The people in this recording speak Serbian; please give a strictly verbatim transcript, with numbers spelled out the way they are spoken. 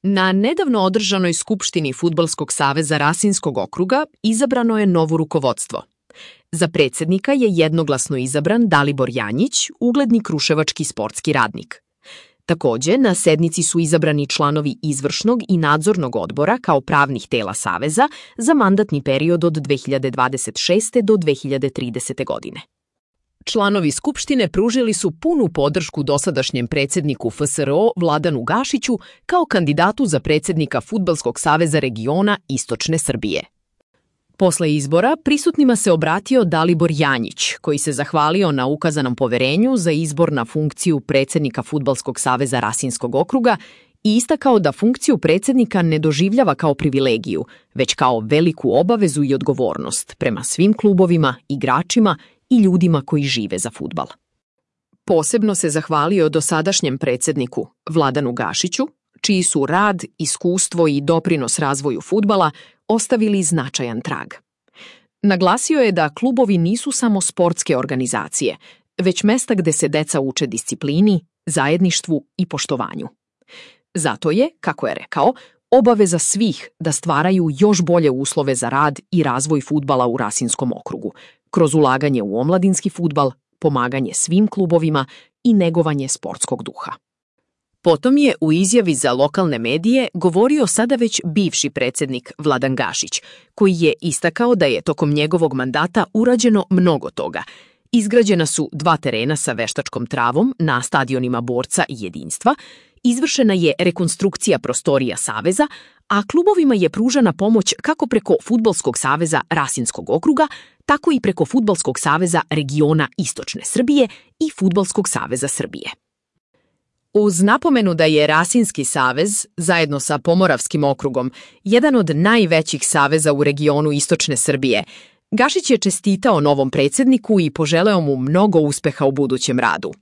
Na nedavno održanoj Skupštini Fudbalskog saveza Rasinskog okruga izabrano je novo rukovodstvo. Za predsjednika je jednoglasno izabran Dalibor Janjić, ugledni kruševački sportski radnik. Takođe, na sednici su izabrani članovi izvršnog i nadzornog odbora kao pravnih tela Saveza za mandatni period od dve hiljade dvadeset šeste. do dve hiljade tridesete. godine. Članovi Skupštine pružili su punu podršku dosadašnjem predsjedniku F S R O Vladanu Gašiću kao kandidatu za predsjednika Fudbalskog saveza regiona Istočne Srbije. Posle izbora prisutnima se obratio Dalibor Janjić, koji se zahvalio na ukazanom poverenju za izbor na funkciju predsjednika Fudbalskog saveza Rasinskog okruga i istakao da funkciju predsjednika ne doživljava kao privilegiju, već kao veliku obavezu i odgovornost prema svim klubovima, igračima i ljudima koji žive za fudbal. Posebno se zahvalio dosadašnjem predsjedniku Vladanu Gašiću, čiji su rad, iskustvo i doprinos razvoju fudbala ostavili značajan trag. Naglasio je da klubovi nisu samo sportske organizacije, već mesta gde se deca uče disciplini, zajedništvu i poštovanju. Zato je, kako je rekao, obaveza svih da stvaraju još bolje uslove za rad i razvoj fudbala u Rasinskom okrugu, kroz ulaganje u omladinski fudbal, pomaganje svim klubovima i negovanje sportskog duha. Potom je u izjavi za lokalne medije govorio sada već bivši predsjednik Vladan Gašić, koji je istakao da je tokom njegovog mandata urađeno mnogo toga. Izgrađena su dva terena sa veštačkom travom na stadionima Borca i Jedinstva, izvršena je rekonstrukcija prostorija Saveza, a klubovima je pružana pomoć kako preko Fudbalskog saveza Rasinskog okruga, tako i preko Fudbalskog saveza regiona Istočne Srbije i Fudbalskog saveza Srbije. Uz napomenu da je Rasinski savez, zajedno sa Pomoravskim okrugom, jedan od najvećih saveza u regionu Istočne Srbije, Gašić je čestitao novom predsjedniku i poželeo mu mnogo uspeha u budućem radu.